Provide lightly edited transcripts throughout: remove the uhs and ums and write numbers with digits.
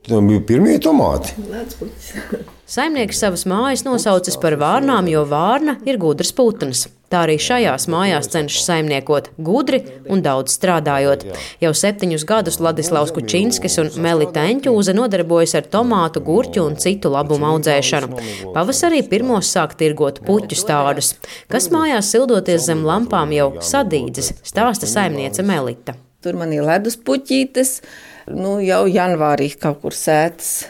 Tam bija pirmie tomāti. Saimnieks savas mājas nosaucis par vārnām, jo vārna ir gudrs putns. Tā arī šajās mājās cenšas saimniekot gudri un daudz strādājot. Jau 7 gadus Ladislavs Kučinskis un Melita Eņķūze nodarbojas ar tomātu, gurķu un citu labumu audzēšanu. Pavasarī pirmos sāk tirgot puķu stādus, kas mājās sildoties zem lampām jau sadīdzis, stāsta saimniece Melita. Tur man ir ledus puķītes, jau janvārī kaut kur sētas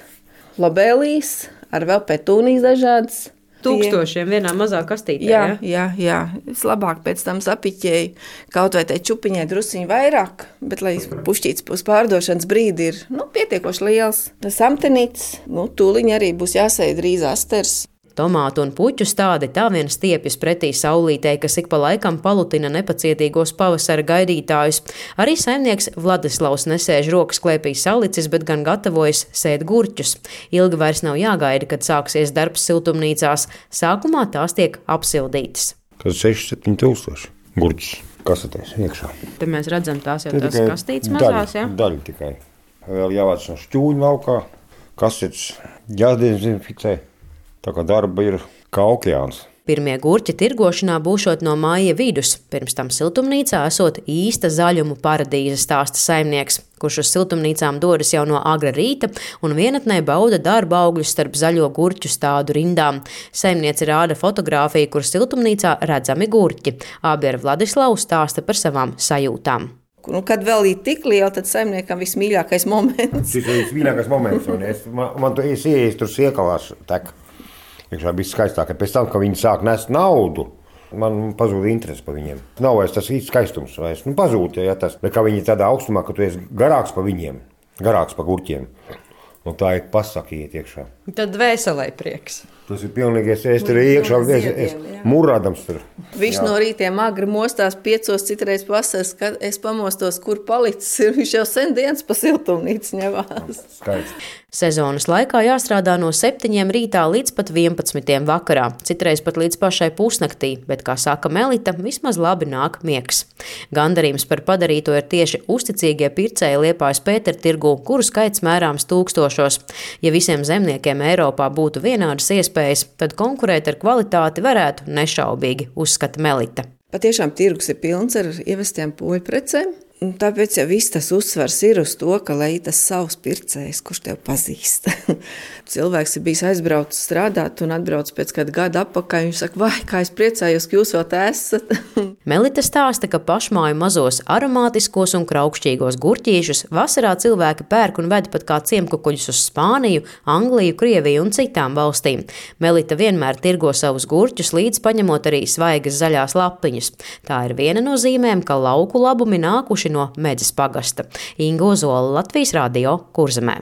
lobēlijas, ar vēl petūnijas dažādas. Tūkstošiem vienā mazā kastītē, jā. Es labāk pēc tam sapiķēju, kaut vai tai čupiņai drusiņu vairāk, bet lai pušķīts uz pārdošanas brīdi ir pietiekoši liels. Samtenīts, tūliņ arī būs jāsēj drīz asters. Tomātu un puķu stādi tā vien stiepjas pretī saulītei, kas ik pa laikam palutina nepacietīgos pavasara gaidītājus. Arī saimnieks Vladislavs nesēž rokas klēpī salicis, bet gan gatavojas sēt gurķus. Ilgi vairs nav jāgaida, kad sāksies darbs siltumnīcās. Sākumā tās tiek apsildītas. Kad 6-7 tūkstoši gurķus kasetēs iekšā. Te mēs redzam tās jau tās kastītes mazās, jā? Daļa tikai. Vēl jāvāc no šķūņu laukā, kasetes jādezinficē. Tā kā darba ir kā okeāns. Pirmie gurķi tirgošanā būšot no māja vidus, pirms tam siltumnīcā esot īsta zaļumu paradīze, stāsta saimnieks, kurš uz siltumnīcām dodas jau no agra rīta un vienatnē bauda darba augļus starp zaļo gurķu stādu rindām. Saimniece rāda fotogrāfiju, kur siltumnīcā redzami gurķi. Abi ar Vladislavu stāsta par savām sajūtām. Kad vēl ir tik liela, tad saimniekam vismīļākais moments. Tas ir vismīļākais moments, un man tu ieejas tur siekalās tek. Iekšā bija skaistāk, ka pēc tam, kad viņi sāk nest naudu, man pazūda interesi par viņiem. Nav vairs tas īsts skaistums, vairs pazūd, ja tas, bet kā viņi tādā augstumā, ka tu esi garāks par viņiem, garāks par gurķiem. Un tā ir pasaka iet iekšā. Tad dvēselē prieks. Tas ir pilnīgi, es tur iekšā, es murādams tur. Viņš no rītiem agri mostās 5, citreiz pasaka, kad es pamostos, kur palicis ir. Viņš jau sen dienas pa siltumnīcu ņevās. Skaisti. Sezonas laikā jāstrādā no 7 rītā līdz pat 11 vakarā, citreiz pat līdz pašai pusnaktī, bet, kā saka Melita, vismaz labi nāk miegs. Gandarījums par padarīto ir tieši uzticīgie pircēji Liepājas Pētertirgū, kuru skaits mērāms tūkstošos. Ja visiem zemniekiem Eiropā būtu vienādas iespējas, tad konkurēt ar kvalitāti varētu nešaubīgi, uzskata Melita. Patiešām tirgus ir pilns ar ievestiem poļu precēm. Tāpēc jau viss tas uzsvars ir uz to, ka lai tas savs pircējs, kurš tev pazīst. Cilvēks ir bijis aizbraucis strādāt un atbrauc pēc kāda gada atpakaļ. Viņš saka, vai, kā es priecājos, ka jūs vēl te esat. Melita stāsta, ka pašmāju mazos aromātiskos un kraukšķīgos gurķīšus vasarā cilvēki pērk un ved pat kā ciemkukuļus uz Spāniju, Angliju, Krieviju un citām valstīm. Melita vienmēr tirgo savus gurķus, līdz paņemot arī svaigas zaļās lapiņas. Tā ir viena no zīmēm, ka lauku labumi nākuši no Medzes pagasta. Inga Ozola, Latvijas Radio, Kurzemē.